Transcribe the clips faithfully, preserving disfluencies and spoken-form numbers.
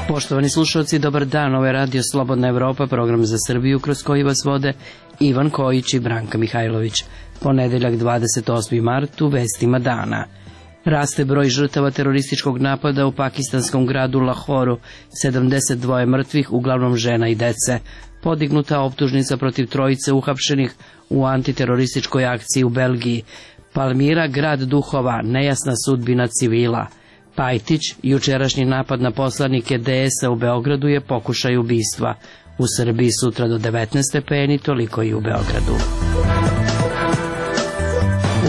Poštovani slušalci, dobar dan, ovo je Radio Slobodna Evropa, program za Srbiju kroz koji vas vode Ivan Kojić i Branka Mihajlović. Ponedeljak dvadeset osmi mart u vestima dana. Raste broj žrtava terorističkog napada u pakistanskom gradu Lahoru, sedamdeset dva mrtvih, uglavnom žena i dece. Podignuta optužnica protiv trojice uhapšenih u antiterorističkoj akciji u Belgiji. Palmira, grad duhova, nejasna sudbina civila. Pajtić, jučerašnji napad na poslanike D S-a u Beogradu je pokušaj ubistva. U Srbiji sutra do devetnaest stepeni, toliko i u Beogradu.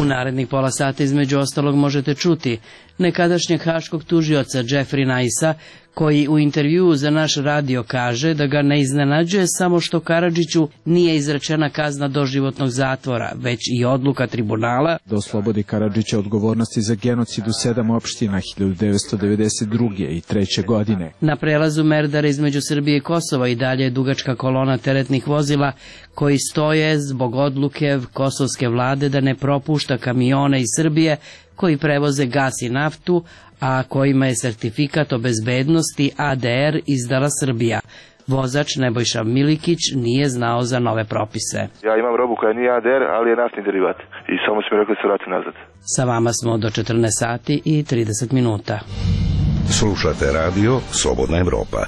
U narednih pola sata između ostalog možete čuti nekadašnjeg haškog tužioca Jeffrey Nice-a, koji u intervjuu za naš radio kaže da ga ne iznenađuje samo što Karadžiću nije izrečena kazna doživotnog zatvora, već i odluka tribunala da oslobodi Karadžića odgovornosti za genocid u sedam opština hiljadu devetsto devedeset druge. i treće. godine. Na prelazu Merdara između Srbije i Kosova i dalje je dugačka kolona teretnih vozila koji stoje zbog odluke kosovske vlade da ne propušta kamione iz Srbije koji prevoze gas i naftu, a kojima je sertifikat o bezbednosti A D R izdala Srbija. Vozač Nebojša Milikić nije znao za nove propise. Ja imam robu koja nije A D R, ali je naftni derivat. I samo su mi rekli da se vrati nazad. Sa vama smo do četrnaest sati i trideset minuta. Slušate radio Slobodna Evropa.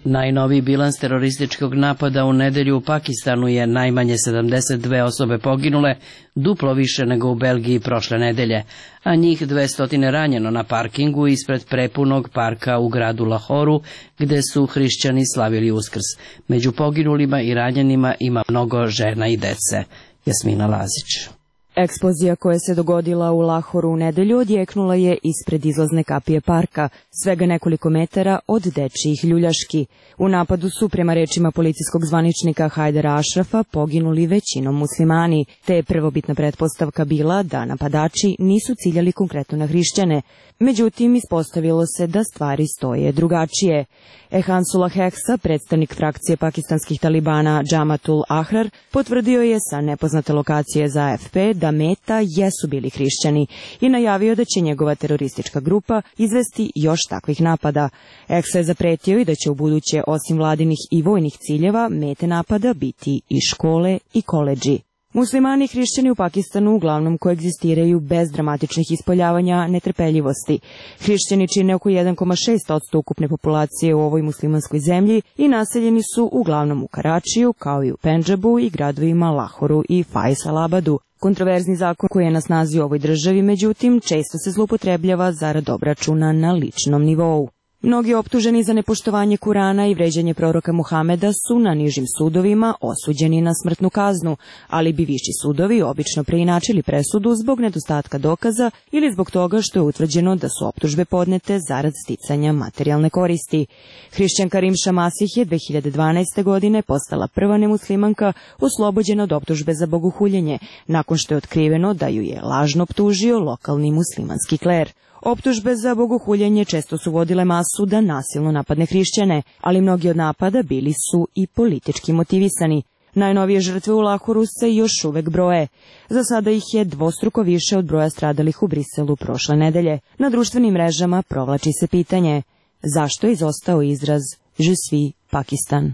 Najnoviji bilans terorističkog napada u nedelju u Pakistanu je najmanje sedamdeset dve osobe poginule, duplo više nego u Belgiji prošle nedelje, a njih dvesta ranjeno na parkingu ispred prepunog parka u gradu Lahoru, gde su hrišćani slavili Uskrs. Među poginulima i ranjenima ima mnogo žena i dece. Jasmina Lazić. Eksplozija koja se dogodila u Lahoru u nedelju odjeknula je ispred izlazne kapije parka, svega nekoliko metara od dečijih ljuljaški. U napadu su, prema rečima policijskog zvaničnika Hajdara Ašrafa, poginuli većinom muslimani, te je prvobitna pretpostavka bila da napadači nisu ciljali konkretno na hrišćane. Međutim, ispostavilo se da stvari stoje drugačije. Ehansullah Heksa, predstavnik frakcije pakistanskih talibana Džamatul Ahrar, potvrdio je sa nepoznate lokacije za A F P da meta jesu bili hrišćani i najavio da će njegova teroristička grupa izvesti još takvih napada. Heksa je zapretio i da će u buduće, osim vladinih i vojnih ciljeva, mete napada biti i škole i koledži. Muslimani i hrišćani u Pakistanu uglavnom koegzistiraju bez dramatičnih ispoljavanja netrpeljivosti. Hrišćani čine oko jedan zarez šest posto ukupne populacije u ovoj muslimanskoj zemlji i naseljeni su uglavnom u Karačiju, kao i u Pendžabu i gradovima Lahoru i Faisalabadu. Kontroverzni zakon koji je na snazi u ovoj državi, međutim, često se zloupotrebljava zarad obračuna na ličnom nivou. Mnogi optuženi za nepoštovanje Kurana i vređanje proroka Muhameda su na nižim sudovima osuđeni na smrtnu kaznu, ali bi viši sudovi obično preinačili presudu zbog nedostatka dokaza ili zbog toga što je utvrđeno da su optužbe podnete zarad sticanja materijalne koristi. Hrišćanka Rimša Masih je dve hiljade dvanaeste. godine postala prva nemuslimanka oslobođena od optužbe za bogohuljenje, nakon što je otkriveno da ju je lažno optužio lokalni muslimanski kler. Optužbe za bogohuljenje često su vodile masu da nasilno napadne hrišćane, ali mnogi od napada bili su i politički motivisani. Najnovije žrtve u Lahoru se još uvek broje. Za sada ih je dvostruko više od broja stradalih u Briselu prošle nedelje. Na društvenim mrežama provlači se pitanje: zašto je izostao izraz Je suis Pakistan?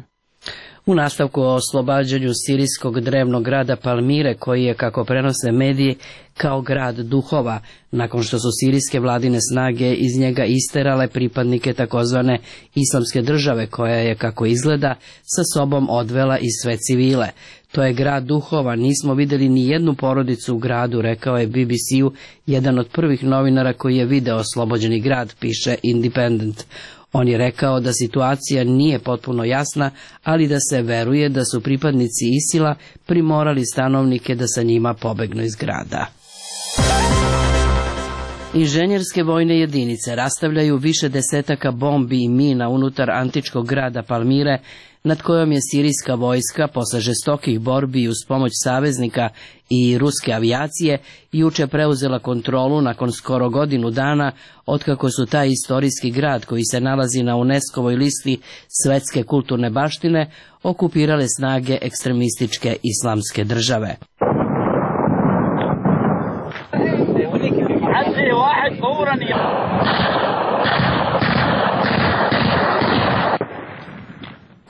U nastavku o oslobađanju sirijskog drevnog grada Palmire, koji je, kako prenose mediji, kao grad duhova, nakon što su sirijske vladine snage iz njega isterale pripadnike takozvane islamske države, koja je, kako izgleda, sa sobom odvela i sve civile. To je grad duhova, nismo videli ni jednu porodicu u gradu, rekao je B B C-u jedan od prvih novinara koji je video oslobođeni grad, piše Independent. On je rekao da situacija nije potpuno jasna, ali da se veruje da su pripadnici Isila primorali stanovnike da sa njima pobegnu iz grada. Inženjerske vojne jedinice rastavljaju više desetaka bombi i mina unutar antičkog grada Palmire, nad kojom je sirijska vojska posle žestokih borbi i uz pomoć saveznika i ruske avijacije juče preuzela kontrolu nakon skoro godinu dana otkako su taj istorijski grad, koji se nalazi na UNESCO-voj listi svetske kulturne baštine, okupirale snage ekstremističke islamske države.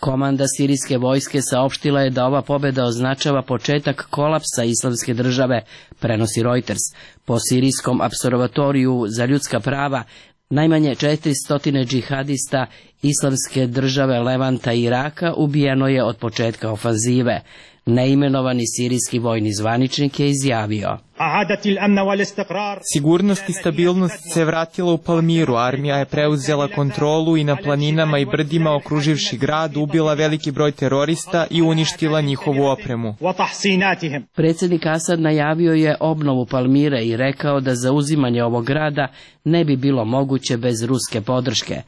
Komanda sirijske vojske saopštila je da ova pobjeda označava početak kolapsa islamske države, prenosi Reuters. Po sirijskom apservatoriju za ljudska prava, najmanje četiristo džihadista islamske države Levanta i Iraka ubijeno je od početka ofanzive. Neimenovani sirijski vojni zvaničnik je izjavio: Sigurnost i stabilnost se vratila u Palmiru, armija je preuzela kontrolu i na planinama i brdima okruživši grad ubila veliki broj terorista i uništila njihovu opremu. Predsjednik Asad najavio je obnovu Palmire i rekao da zauzimanje ovog grada ne bi bilo moguće bez ruske podrške.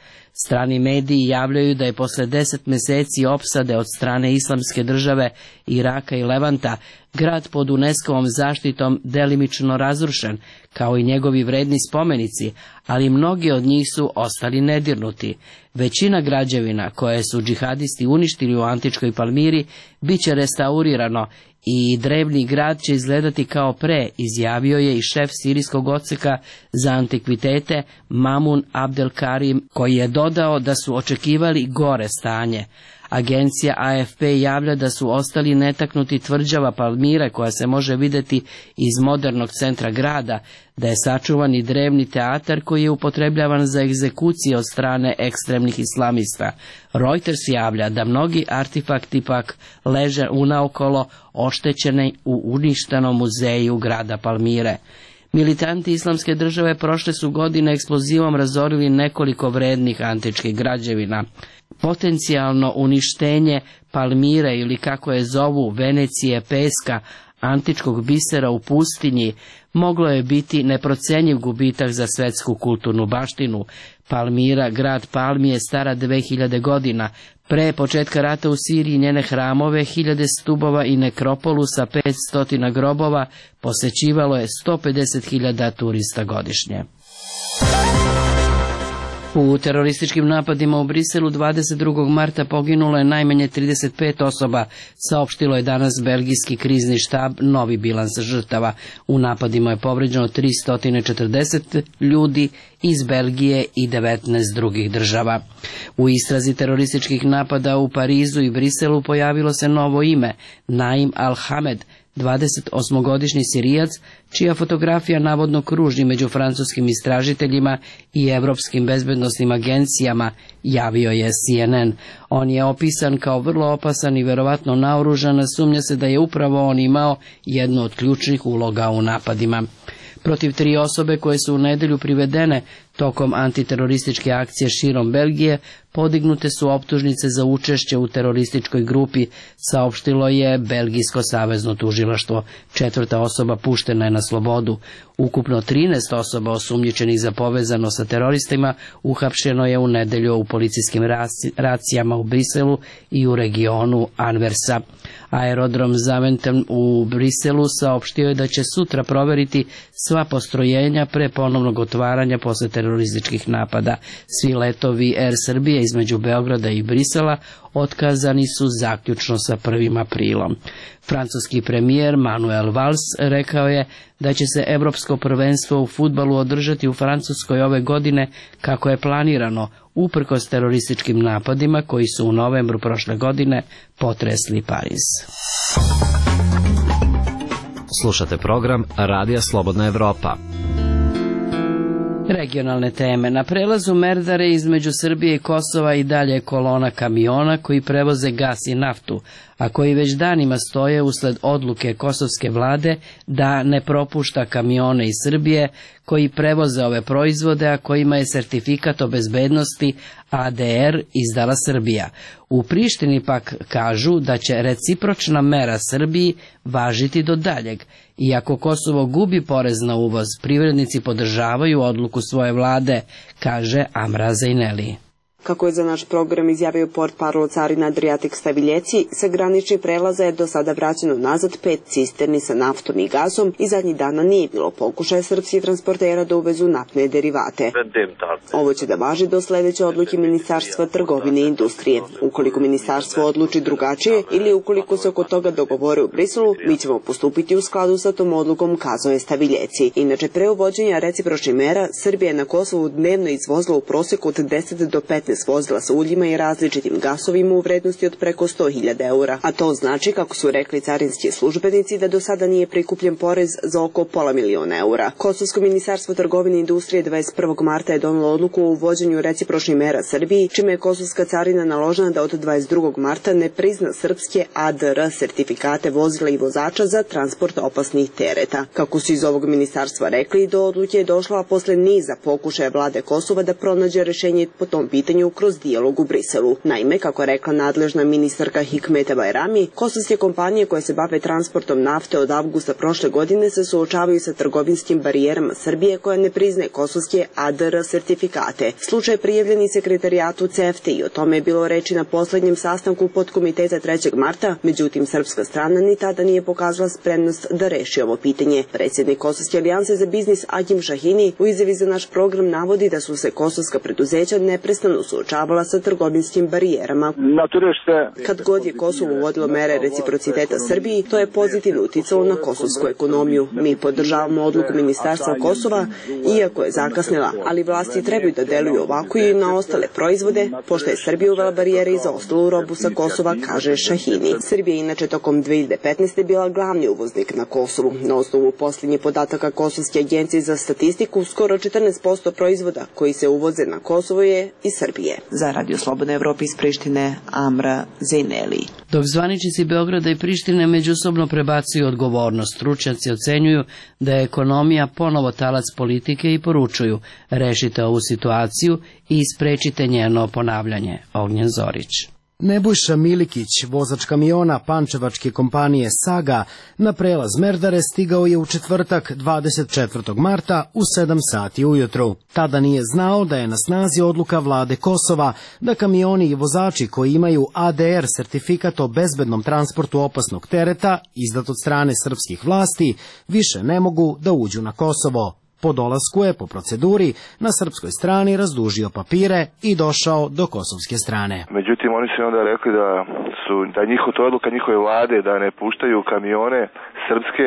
Strani mediji javljaju da je posle deset meseci opsade od strane islamske države Iraka i Levanta grad pod UNESCO-vom zaštitom delimično razrušen, kao i njegovi vredni spomenici, ali mnogi od njih su ostali nedirnuti. Većina građevina koje su džihadisti uništili u antičkoj Palmiri bit će restaurirano i drevni grad će izgledati kao pre, izjavio je i šef sirijskog odseka za antikvitete Mamun Abdel Karim, koji je dodao da su očekivali gore stanje. Agencija A F P javlja da su ostali netaknuti tvrđava Palmire koja se može vidjeti iz modernog centra grada, da je sačuvan i drevni teatar koji je upotrebljavan za egzekucije od strane ekstremnih islamista. Reuters javlja da mnogi artefakti pak leže unaokolo oštećeni u uništenom muzeju grada Palmire. Militanti islamske države prošle su godine eksplozivom razorili nekoliko vrednih antičkih građevina. Potencijalno uništenje Palmire ili kako je zovu Venecije peska, antičkog bisera u pustinji, moglo je biti neprocenjiv gubitak za svetsku kulturnu baštinu. Palmira, grad palmi, je stara dve hiljade godina. Pre početka rata u Siriji njene hramove, hiljade stubova i nekropolu sa petsto grobova posećivalo je sto pedeset hiljada turista godišnje. U terorističkim napadima u Briselu dvadeset drugog marta poginulo je najmanje trideset pet osoba, saopštilo je danas belgijski krizni štab novi bilans žrtava. U napadima je povređeno tristo četrdeset ljudi iz Belgije i devetnaest drugih država. U istrazi terorističkih napada u Parizu i Briselu pojavilo se novo ime, Naim Al-Hamed, dvadesetosmogodišnji Sirijac, čija fotografija navodno kruži među francuskim istražiteljima i evropskim bezbednosnim agencijama, javio je C N N. On je opisan kao vrlo opasan i verovatno naoružan, sumnja se da je upravo on imao jednu od ključnih uloga u napadima. Protiv tri osobe koje su u nedelju privedene tokom antiterorističke akcije širom Belgije podignute su optužnice za učešće u terorističkoj grupi, saopštilo je Belgijsko savezno tužilaštvo. Četvrta osoba puštena je na slobodu. Ukupno trinaest osoba osumnjičenih za povezano sa teroristima uhapšeno je u nedelju u policijskim racijama u Briselu i u regionu Anversa. Aerodrom Zaventem u Briselu saopštio je da će sutra proveriti sva postrojenja pre ponovnog otvaranja posle terorističkih napada. Svi letovi Air Srbije između Beograda i Brisela otkazani su zaključno sa prvim aprilom. Francuski premijer Manuel Valls rekao je da će se evropsko prvenstvo u fudbalu održati u Francuskoj ove godine kako je planirano, uprkos terorističkim napadima koji su u novembru prošle godine potresli Pariz. Slušate program Radija Slobodna Evropa. Regionalne teme. Na prelazu Merdare između Srbije i Kosova i dalje je kolona kamiona koji prevoze gas i naftu, a koji već danima stoje usled odluke kosovske vlade da ne propušta kamione iz Srbije koji prevoze ove proizvode, a kojima je sertifikat o bezbednosti A D R izdala Srbija. U Prištini pak kažu da će recipročna mera Srbiji važiti do daljeg. Iako Kosovo gubi porez na uvoz, privrednici podržavaju odluku svoje vlade, kaže Amra Zejneli. Kako je za naš program izjavio portparol carina Adriatic Staviljeci, sa graničnih prelaza je do sada vraćeno nazad pet cisterni sa naftom i gazom i zadnjih dana nije bilo pokušaja srpskih transportera da uvezu naftne derivate. Ovo će da važi do sledeće odluke Ministarstva trgovine i industrije. Ukoliko ministarstvo odluči drugačije ili ukoliko se oko toga dogovore u Briselu, mi ćemo postupiti u skladu sa tom odlukom, kazao je Staviljeci. Inače, pre uvođenja recipročnih mera, Srbija je na Kosovu dnevno izvozila u proseku od deset do petnaest vozila sa uljima i različitim gasovima u vrednosti od preko sto hiljada eura. A to znači, kako su rekli carinski službenici, da do sada nije prikupljen porez za oko pola miliona eura. Kosovsko ministarstvo trgovine i industrije dvadeset prvog marta je donelo odluku o uvođenju recipročnih mera Srbiji, čime je kosovska carina naložena da od dvadeset drugog marta ne prizna srpske A D R sertifikate vozila i vozača za transport opasnih tereta. Kako su iz ovog ministarstva rekli, do odluke je došla posle niza pokušaja vlade Kosova da pronađe rešenje po tom pitanju kroz dijalog u Briselu. Naime, kako je rekla nadležna ministarka Hikmeta Bajrami, kosovske kompanije koje se bave transportom nafte od avgusta prošle godine se suočavaju sa trgovinskim barijerama Srbije koja ne priznaje kosovske A D R sertifikate. Slučaj je prijavljen i sekretarijatu CEFTA i o tome je bilo reči na poslednjem sastanku podkomiteta trećeg marta, međutim srpska strana ni tada nije pokazala spremnost da reši ovo pitanje. Predsjednik Kosovske alijanse za biznis Agim Šahini u izjavi za naš program navodi da su se kosovska preduzeća neprestano suočavala sa trgovinskim barijerama. Kad god je Kosovo uvodilo mere reciprociteta Srbiji, to je pozitivno uticalo na kosovsku ekonomiju. Mi podržavamo odluku Ministarstva Kosova, iako je zakasnila, ali vlasti trebaju da deluju ovako i na ostale proizvode, pošto je Srbija uvela barijere i za ostalu robu sa Kosova, kaže Šahini. Srbija je inače tokom dve hiljade petnaeste. bila glavni uvoznik na Kosovu. Na osnovu posljednjih podataka Kosovske agencije za statistiku, skoro četrnaest posto proizvoda koji se uvoze na Kosovo je iz Srbije. Za Radio Slobodna Evropa iz Prištine, Amra Zejneli. Dok zvaničnici Beograda i Prištine međusobno prebacuju odgovornost, stručnjaci ocenjuju da je ekonomija ponovo talac politike i poručuju: rešite ovu situaciju i sprečite njeno ponavljanje. Ognjen Zorić. Nebojša Milikić, vozač kamiona pančevačke kompanije Saga, na prelaz Merdare stigao je u četvrtak dvadeset četvrtog marta u sedam sati ujutru. Tada nije znao da je na snazi odluka vlade Kosova da kamioni i vozači koji imaju A D R sertifikat o bezbednom transportu opasnog tereta, izdat od strane srpskih vlasti, više ne mogu da uđu na Kosovo. Po dolasku je po proceduri na srpskoj strani razdužio papire i došao do kosovske strane. Međutim, oni su onda rekli da su da njihova to odluka njihove vlade da ne puštaju kamione srpske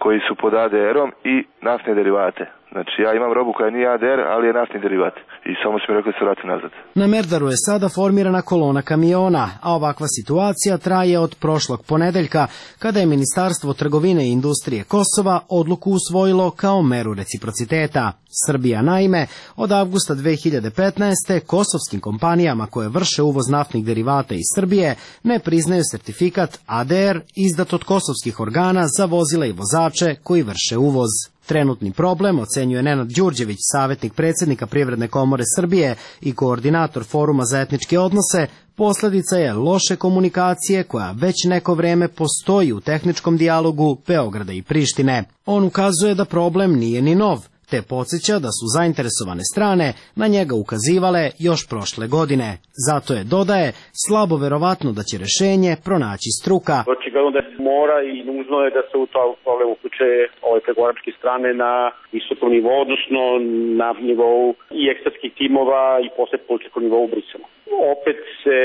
koji su pod A D R-om i naftne derivate. Znači, ja imam robu koja nije A D R, ali je naftni derivat. I samo su mi rekli da se vrati nazad. Na Merdaru je sada formirana kolona kamiona, a ovakva situacija traje od prošlog ponedeljka, kada je Ministarstvo trgovine i industrije Kosova odluku usvojilo kao meru reciprociteta. Srbija, naime, od avgusta dve hiljade petnaeste. kosovskim kompanijama koje vrše uvoz naftnih derivata iz Srbije ne priznaju sertifikat A D R izdat od kosovskih organa za vozila i vozače koji vrše uvoz. Trenutni problem, ocenjuje Nenad Đurđević, savjetnik predsjednika Privredne komore Srbije i koordinator Foruma za etničke odnose, posledica je loše komunikacije koja već neko vreme postoji u tehničkom dijalogu Beograda i Prištine. On ukazuje da problem nije ni nov, te podsjeća da su zainteresovane strane na njega ukazivale još prošle godine. Zato je, dodaje, slabo verovatno da će rešenje pronaći struka. Očigledno da mora i nužno je da se u to problem uključe ove pregovaračke strane na visokom nivou, odnosno na nivou i ekspertskih timova i posle političkog nivou u Briselu. Opet se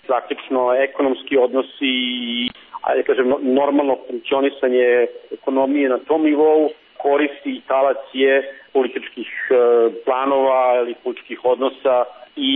praktično ekonomski odnosi i, ajde kažem, normalno funkcionisanje ekonomije na tom nivou koristi i talac je političkih planova ili političkih odnosa i,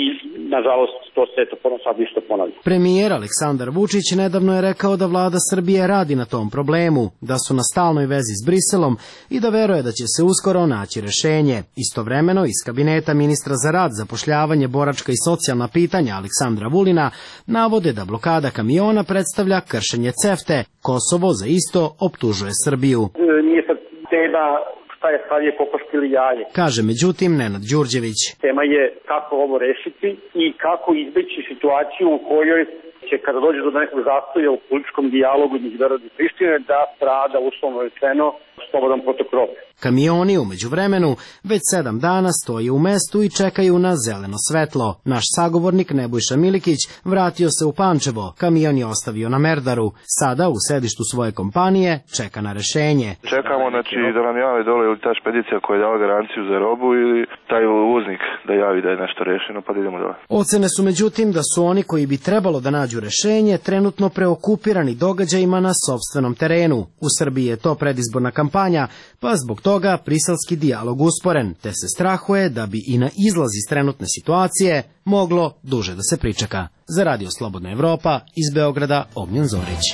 nažalost, to se eto sad isto ponavlja. Premijer Aleksandar Vučić nedavno je rekao da vlada Srbije radi na tom problemu, da su na stalnoj vezi s Briselom i da veruje da će se uskoro naći rešenje. Istovremeno, iz kabineta ministra za rad, zapošljavanje, boračka i socijalna pitanja Aleksandra Vulina navode da blokada kamiona predstavlja kršenje CEFTA. Kosovo za isto optužuje Srbiju. Nije sad tema šta je sad je kokoška ili jaje. Kaže međutim Nenad Đurđević. Tema je kako ovo rešiti i kako izbeći situaciju u kojoj će, kada dođe do nekog zastoja u političkom dijalogu između Beograda i Prištine, da strada, uslovno rečeno, slobodan protok robe. Kamioni umeđu vremenu već sedam dana stoje u mestu i čekaju na zeleno svetlo. Naš sagovornik Nebojša Milikić vratio se u Pančevo, kamion je ostavio na Merdaru. Sada u sedištu svoje kompanije čeka na rešenje. Čekamo znači, da nam jave dole ili ta špedicija koja je dala garanciju za robu ili taj uvoznik da javi da je nešto rešeno pa da idemo dole. Ocene su međutim da su oni koji bi trebalo da nađu rešenje trenutno preokupirani događajima na sopstvenom terenu. U Srbiji je to predizborna kampanja, pa zbog toga briselski dijalog usporen, te se strahuje da bi i na izlaz iz trenutne situacije moglo duže da se pričeka. Za Radio Slobodna Evropa iz Beograda Ognjen Zorić.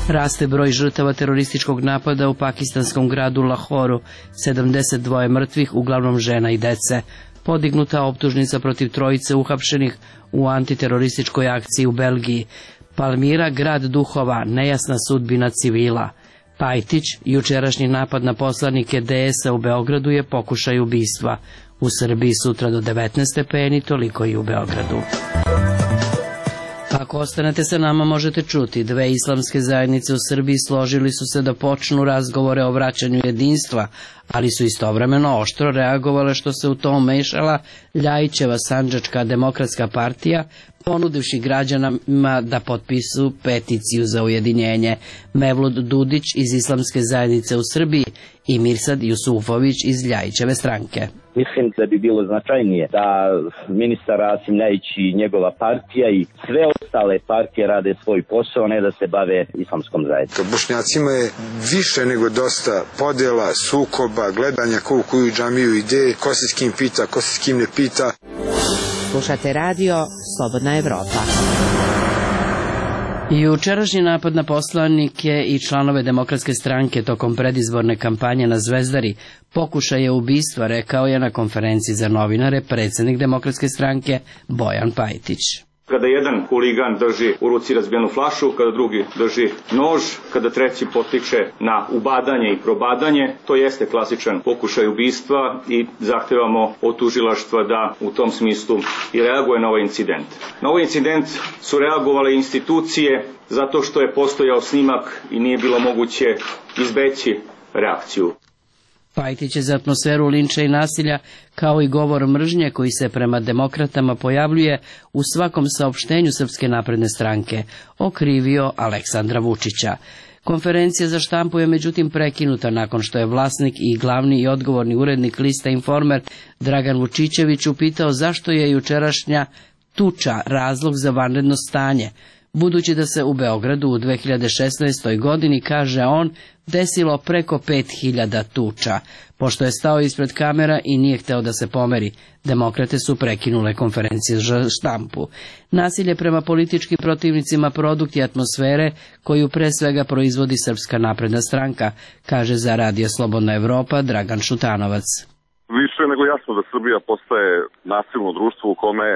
Raste broj žrtava terorističkog napada u pakistanskom gradu Lahoru, sedamdeset dva mrtvih, uglavnom žena i dece. Podignuta optužnica protiv trojice uhapšenih u antiterorističkoj akciji u Belgiji. Palmira, grad duhova, nejasna sudbina civila. Pajtić, jučerašnji napad na poslanike D S-a u Beogradu je pokušaj ubistva. U Srbiji sutra do devetnaest stepeni, toliko i u Beogradu. Ako ostanete sa nama možete čuti, dve islamske zajednice u Srbiji složili su se da počnu razgovore o vraćanju jedinstva, ali su istovremeno oštro reagovale što se u to umešala Ljajićeva Sandžačka demokratska partija, ponudivši građanima da potpisu peticiju za ujedinjenje. Mevlud Dudić iz islamske zajednice u Srbiji i Mirsad Jusufović iz Ljajićeve stranke. Mislim da bi bilo značajnije da ministar Rasim Ljajić i njegova partija i sve ostale partije rade svoj posao, ne da se bave islamskom zajednicom. Bošnjacima je više nego dosta podjela, sukoba, gledanja ko u koju džamiju ide, ko se s kim pita, ko se s kim ne pita. Slušate radio Slobodna Evropa. Jučerašnji napad na poslanike i članove Demokratske stranke tokom predizborne kampanje na Zvezdari pokušaj je ubistva, rekao je na konferenciji za novinare predsjednik Demokratske stranke Bojan Pajtić. Kada jedan huligan drži u ruci razbijenu flašu, kada drugi drži nož, kada treći potiče na ubadanje i probadanje, to jeste klasičan pokušaj ubistva i zahtevamo od tužilaštva da u tom smislu i reaguje na ovaj incident. Na ovaj incident su reagovale institucije zato što je postojao snimak i nije bilo moguće izbeći reakciju. Pajtić je za atmosferu linča i nasilja, kao i govor mržnje koji se prema demokratama pojavljuje u svakom saopštenju Srpske napredne stranke, okrivio Aleksandra Vučića. Konferencija za štampu je međutim prekinuta nakon što je vlasnik i glavni i odgovorni urednik lista Informer Dragan Vučićević upitao zašto je jučerašnja tuča razlog za vanredno stanje, budući da se u Beogradu u dve hiljade šesnaestoj. godini, kaže on, desilo preko pet hiljada tuča. Pošto je stao ispred kamera i nije hteo da se pomeri, demokrate su prekinule konferencije za štampu. Nasilje prema političkim protivnicima produkt je atmosfere koju pre svega proizvodi Srpska napredna stranka, kaže za Radio Slobodna Evropa Dragan Šutanovac. Više nego jasno da Srbija postaje nasilno društvo u kome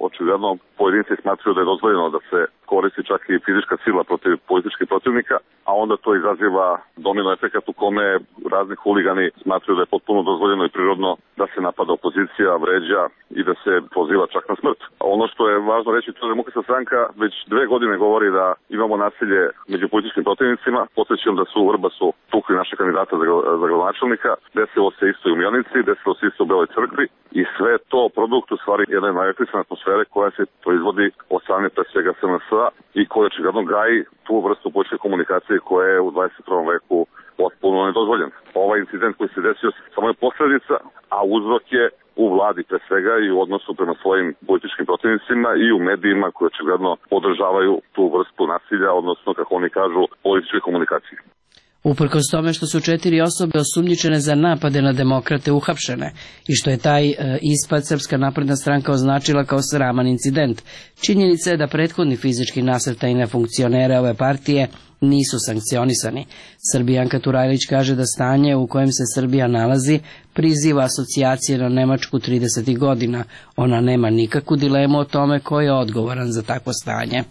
očigledno pojedinci smatruju da je dozvoljeno da se koristi čak i fizička sila protiv političkih protivnika, a onda to izaziva domino efekat u kome razni huligani smatruju da je potpuno dozvoljeno i prirodno da se napada opozicija, vređa i da se poziva čak na smrt. A ono što je važno reći, to je Demokratska stranka već dve godine govori da imamo nasilje među političkim protivnicima. Podsjećam da su u Vrbasu tukli naše kandidata za, za gradonačelnika, desilo se isto i u Mionici, desilo se isto u Beloj crkvi i sve to produkt u stvari jedne najagresivne atmosfere koja se proizvodi od strane pre svega S N S-a i koja očigledno gaji tu vrstu političke komunikacije koja je u dvadeset prvom veku potpuno nedozvoljen. Ovaj incident koji se desio samo je posljedica, a uzrok je u vladi pre svega i u odnosu prema svojim političkim protivnicima i u medijima koji očigledno podržavaju tu vrstu nasilja, odnosno, kako oni kažu, političke komunikacije. Uprkos tome što su četiri osobe osumnjičene za napade na demokrate uhapšene i što je taj e, ispad Srpska napredna stranka označila kao sraman incident, činjenica je da prethodni fizički nasrtaj na funkcionere ove partije nisu sankcionisani. Srbijanka Turajlić kaže da stanje u kojem se Srbija nalazi priziva asocijacije na Nemačku tridesetih godina. Ona nema nikakvu dilemu o tome ko je odgovoran za takvo stanje.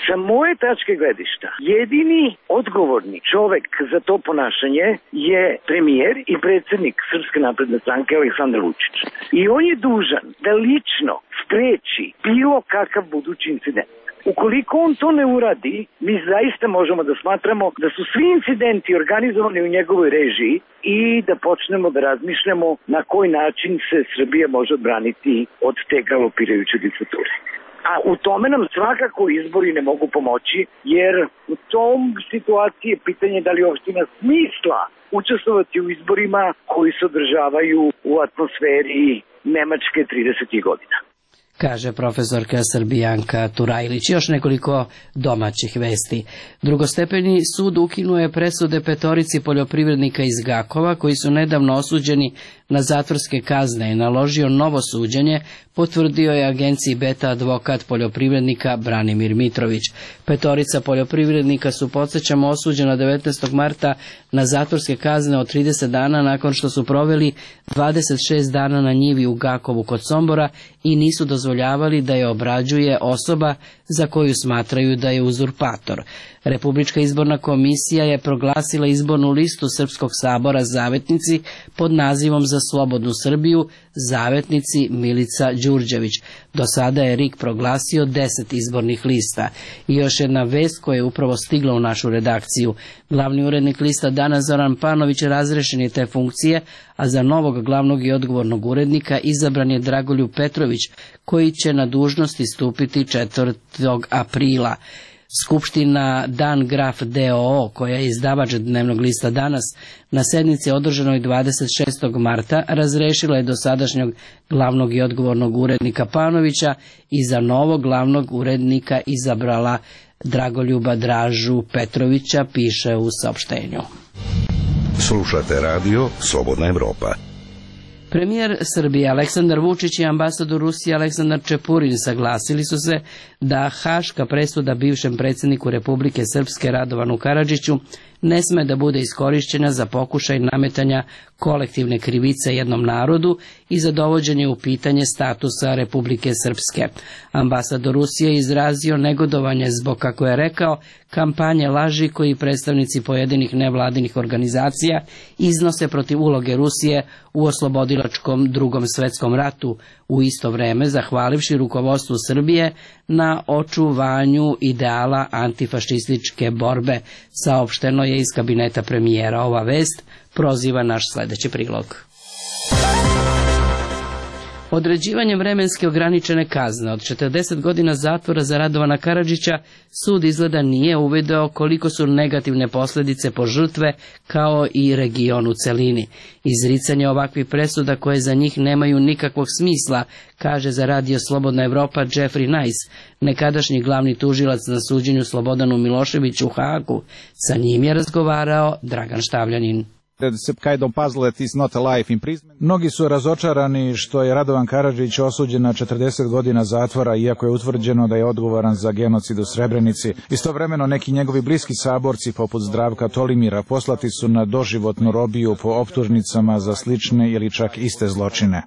Sa moje tačke gledišta, jedini odgovorni čovek za to ponašanje je premijer i predsjednik Srpske napredne stranke Aleksandar Vučić. I on je dužan da lično spreči bilo kakav budući incident. Ukoliko on to ne uradi, mi zaista možemo da smatramo da su svi incidenti organizovani u njegovoj režiji i da počnemo da razmišljamo na koji način se Srbija može odbraniti od te galopirajuće diktature. A u tome nam svakako izbori ne mogu pomoći, jer u tom situaciji je pitanje da li uopšte ima smisla učestvovati u izborima koji se održavaju u atmosferi Nemačke tridesetih godina. Kaže profesorka Srbijanka Turajlić. Još nekoliko domaćih vesti. Drugostepeni sud ukinuo je presude petorici poljoprivrednika iz Gakova koji su nedavno osuđeni na zatvorske kazne i naložio novo suđenje, potvrdio je agenciji Beta advokat poljoprivrednika Branimir Mitrović. Petorica poljoprivrednika su, podsjećamo, osuđena devetnaestog marta na zatvorske kazne od trideset dana nakon što su proveli dvadeset šest dana na njivi u Gakovu kod Sombora i nisu dozvoljavali da je obrađuje osoba za koju smatraju da je uzurpator. Republička izborna komisija je proglasila izbornu listu Srpskog sabora Zavetnici pod nazivom Za slobodnu Srbiju, Zavetnici Milica Đurđević. Do sada je R I K proglasio deset izbornih lista. I još jedna vest koja je upravo stigla u našu redakciju. Glavni urednik lista Dana Zoran Panović razrešen je te funkcije, a za novog glavnog i odgovornog urednika izabran je Dragoljub Petrović, koji će na dužnosti stupiti četvrtog aprila. Skupština Dan Graf D O O, koja je izdavač dnevnog lista Danas, na sednici održanoj dvadeset šestog marta razrešila je dosadašnjeg glavnog i odgovornog urednika Panovića i za novog glavnog urednika izabrala Dragoljuba Dražu Petrovića, piše u saopštenju. Slušate radio Slobodna Evropa. Premijer Srbije Aleksandar Vučić i ambasador Rusije Aleksandar Čepurin saglasili su se da haška presuda bivšem predsjedniku Republike Srpske Radovanu Karadžiću ne sme da bude iskorišćena za pokušaj nametanja kolektivne krivice jednom narodu i za dovođenje u pitanje statusa Republike Srpske. Ambasador Rusije je izrazio negodovanje zbog, kako je rekao, kampanje laži koji predstavnici pojedinih nevladinih organizacija iznose protiv uloge Rusije u oslobodilačkom Drugom svetskom ratu, u isto vreme zahvalivši rukovodstvu Srbije na očuvanju ideala antifašističke borbe. Saopšteno je iz kabineta premijera. Ova vest proziva naš sledeći prilog. Određivanjem vremenske ograničene kazne od četrdeset godina zatvora za Radovana Karadžića sud izgleda nije uvideo koliko su negativne posljedice po žrtve kao i region u celini. Izricanje ovakvih presuda koje za njih nemaju nikakvog smisla, kaže za radio Slobodna Evropa Jeffrey Nice, nekadašnji glavni tužilac na suđenju Slobodanu Miloševiću u Hagu. Sa njim je razgovarao Dragan Štavljanin. Mnogi su razočarani što je Radovan Karadžić osuđen na četrdeset godina zatvora, iako je utvrđeno da je odgovoran za genocid u Srebrenici. Istovremeno neki njegovi bliski saborci, poput Zdravka Tolimira, poslati su na doživotnu robiju po optužnicama za slične ili čak iste zločine.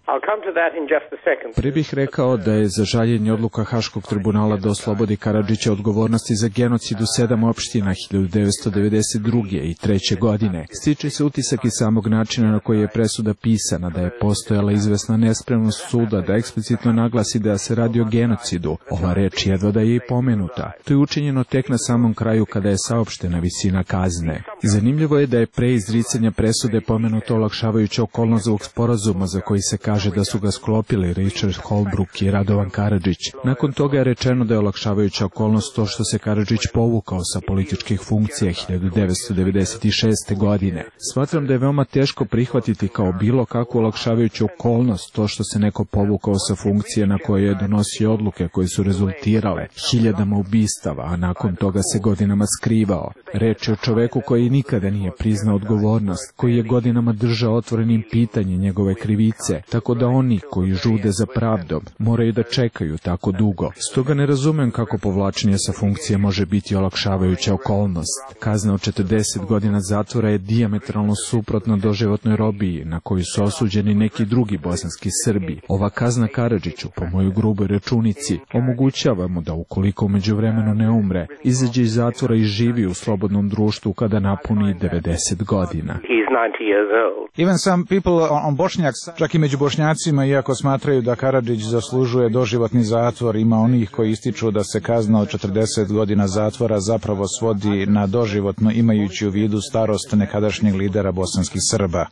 Prije bih rekao da je za žaljenje odluka Haškog tribunala da oslobodi Karadžića odgovornosti za genocid u sedam opština hiljadu devetsto devedeset druge i treće godine. Stiče se utisak iz samog načina na koji je presuda pisana, da je postojala izvesna nespremnost suda da eksplicitno naglasi da se radi o genocidu. Ova reč jedva da je i pomenuta. To je učinjeno tek na samom kraju kada je saopštena visina kazne. Zanimljivo je da je pre izricanja presude pomenuto olakšavajuća okolnost ovog sporazuma za koji se kaže da su ga sklopili Richard Holbrooke i Radovan Karadžić. Nakon toga je rečeno da je olakšavajuća okolnost to što se Karadžić povukao sa političkih funkcija hiljadu devetsto devedeset šeste. godine. Smatram da je veoma teško prihvatiti kao bilo kakvu olakšavajuću okolnost to što se neko povukao sa funkcije na koje je donosio odluke koje su rezultirale hiljadama ubistava, a nakon toga se godinama skrivao. Reč je o čoveku koji nikada nije priznao odgovornost, koji je godinama držao otvorenim pitanje njegove krivice, tako da oni koji žude za pravdom moraju da čekaju tako dugo. Stoga ne razumem kako povlačenje sa funkcije može biti olakšavajuća okolnost. Kazna od četrdeset godina zatvora je dijametralno suprotna doživotnoj robiji na koju su osuđeni neki drugi bosanski Srbi. Ova kazna Karadžiću, po mojoj gruboj računici, omogućava mu da ukoliko u međuvremenu ne umre, izađe iz zatvora i živi u slobodnom društvu kada napuni devedeset godina. ninety years old. Even some people on Bošnjaks, čak i među Bošnjacima, iako smatraju da Karadžić zaslužuje doživotni zatvor, ima onih koji ističu da se kazna od četrdeset godina zatvora zapravo svodi na doživotno, imajući u vidu starost nekadašnjeg lidera bosanskih Srba.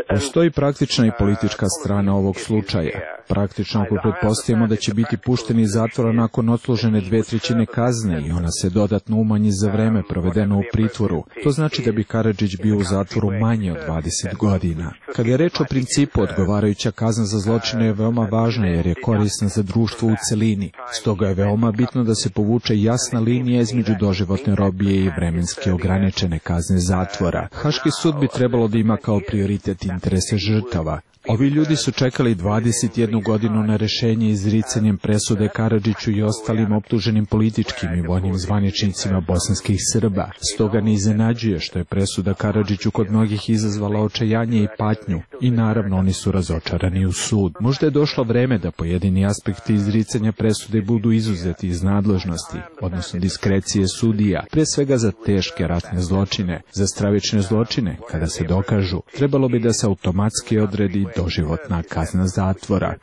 Postoji praktična i politička strana ovog slučaja. Praktično ako pretpostavimo da će biti pušteni iz zatvora nakon odslužene dve trećine kazne i ona se dodatno umanji za vreme provedeno u pritvoru, to znači da bi Karadžić bio u zatvoru manje od dvadeset godina. Kada je reč o principu, odgovarajuća kazna za zločine je veoma važna jer je korisna za društvo u celini. Stoga je veoma bitno da se povuče jasna linija između doživotne robije i vremenski ograničene kazne zatvora. Haški sud bi trebalo da ima kao prioritet interese žrtava. Ovi ljudi su čekali dvadeset jednu godinu na rešenje izricanjem presude Karadžiću i ostalim optuženim političkim i vojnim zvaničnicima bosanskih Srba. Stoga ne iznenađuje što je presuda Karadžiću kod mnogih izazvala očajanje i patnju i naravno oni su razočarani u sud. Možda je došlo vreme da pojedini aspekti izricanja presude budu izuzeti iz nadležnosti, odnosno diskrecije sudija, pre svega za teške ratne zločine. Za stravične zločine, kada se dokažu, trebalo bi da se automatski odredi doživotna kazna zatvora.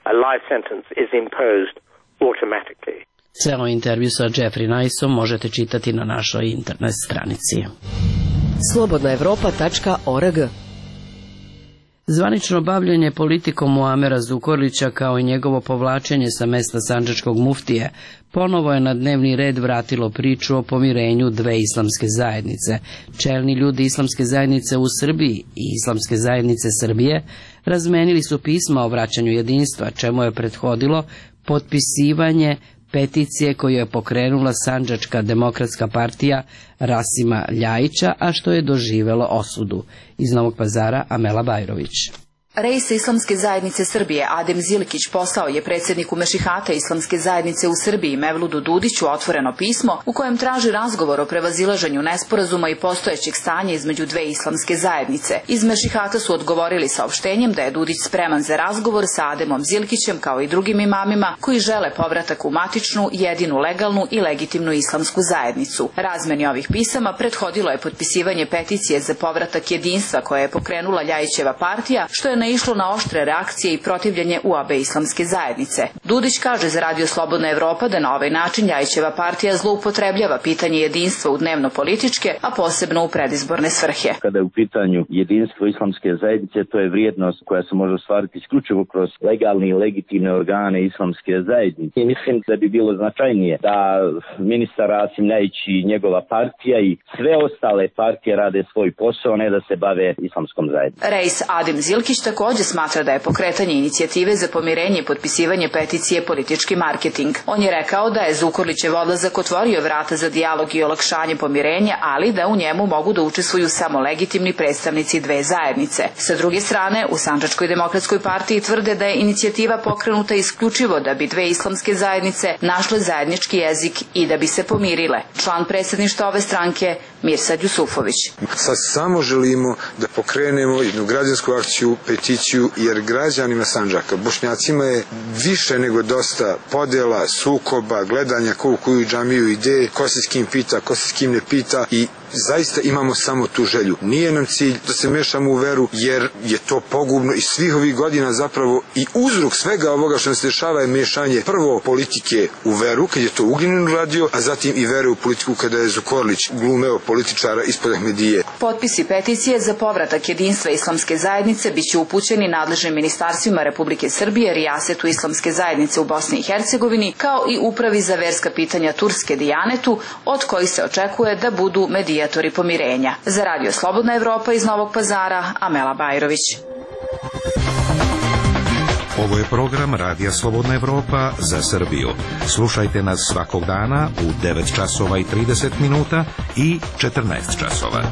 Ceo intervju sa Jeffrey Niceom možete čitati na našoj internet stranici. slobodna evropa tačka org. Zvanično bavljenje politikom Muamera Zukorlića kao i njegovo povlačenje sa mesta sandžačkog muftije ponovo je na dnevni red vratilo priču o pomirenju dve islamske zajednice. Čelni ljudi islamske zajednice u Srbiji i islamske zajednice Srbije razmenili su pisma o vraćanju jedinstva, čemu je prethodilo potpisivanje peticije koju je pokrenula Sandžačka demokratska partija Rasima Ljajića, a što je doživelo osudu. Iz Novog Pazara Amela Bajrović. Reis Islamske zajednice Srbije Adem Zilikić poslao je predsjedniku Mešihata Islamske zajednice u Srbiji Mevludu Dudiću otvoreno pismo u kojem traži razgovor o prevazilaženju nesporazuma i postojećeg stanja između dve islamske zajednice. Iz Mešihata su odgovorili saopštenjem da je Dudić spreman za razgovor sa Ademom Zilikićem kao i drugim imamima koji žele povratak u matičnu, jedinu legalnu i legitimnu islamsku zajednicu. Razmeni ovih pisama prethodilo je potpisivanje peticije za povratak jedinstva koje je pokrenula Ljajićeva partija, što je naišlo na oštre reakcije i protivljenje u obe islamske zajednice. Dudić kaže za Radio Slobodna Evropa da na ovaj način Ljajićeva partija zloupotrebljava pitanje jedinstva u dnevno-političke, a posebno u predizborne svrhe. Kada je u pitanju jedinstvo islamske zajednice, to je vrijednost koja se može ostvariti isključivo kroz legalne i legitimne organe islamske zajednice. I mislim da bi bilo značajnije da ministar Rasim Ljajić i njegova partija i sve ostale partije rade svoj posao, ne da se bave islamskom zajednicom. Reis Adem Zilkić također smatra da je pokretanje inicijative za pomirenje i potpisivanje peticije politički marketing. On je rekao da je Zukorlićev odlazak otvorio vrata za dijalog i olakšanje pomirenja, ali da u njemu mogu da učestvuju samo legitimni predstavnici dve zajednice. Sa druge strane, u Sandžačkoj demokratskoj partiji tvrde da je inicijativa pokrenuta isključivo da bi dve islamske zajednice našle zajednički jezik i da bi se pomirile. Član predsjedništva ove stranke Mirsad Jusufović. Sad samo želimo da pokrenemo jednu građansku akciju, peticiju, jer građanima Sandžaka, Bošnjacima je više nego dosta podela, sukoba, gledanja ko u koju džamiju ide, ko se s kim pita, ko se s kim ne pita i zaista imamo samo tu želju. Nije nam cilj da se mešamo u veru, jer je to pogubno i svih ovih godina zapravo i uzrok svega ovoga što nam se dešava je mešanje prvo politike u veru, kad je to Ugljanin radio, a zatim i vere u politiku kada je Zukorlić glumeo političara ispod Ahmedije. Potpisi peticije za povratak jedinstva islamske zajednice biće upućeni nadležnim ministarstvima Republike Srbije, Rijasetu islamske zajednice u Bosni i Hercegovini, kao i Upravi za verska pitanja Turske Dijanetu, od kojih se očekuje da budu medijatori pomirenja. Za Radio Slobodna Evropa iz Novog Pazara, Amela Bajrović. Ovo je program Radija Slobodna Evropa za Srbiju. Slušajte nas svakog dana u devet časova i trideset minuta i četrnaest časova.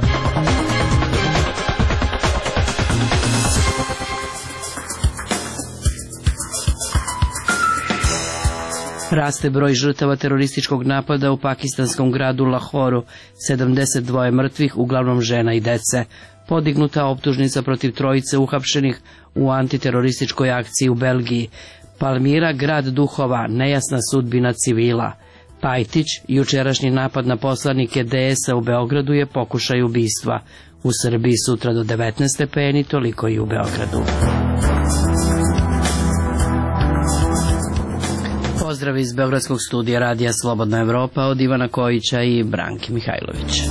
Raste broj žrtava terorističkog napada u pakistanskom gradu Lahoru, sedamdeset dva mrtvih, uglavnom žena i dece. Podignuta optužnica protiv trojice uhapšenih u antiterorističkoj akciji u Belgiji. Palmira, grad duhova, nejasna sudbina civila. Pajtić, jučerašnji napad na poslanike D S-a u Beogradu je pokušaj ubistva. U Srbiji sutra do devetnaest stepeni, toliko i u Beogradu. Pozdrav iz Beogradskog studija Radija Slobodna Evropa od Ivana Kojića i Branke Mihajlović.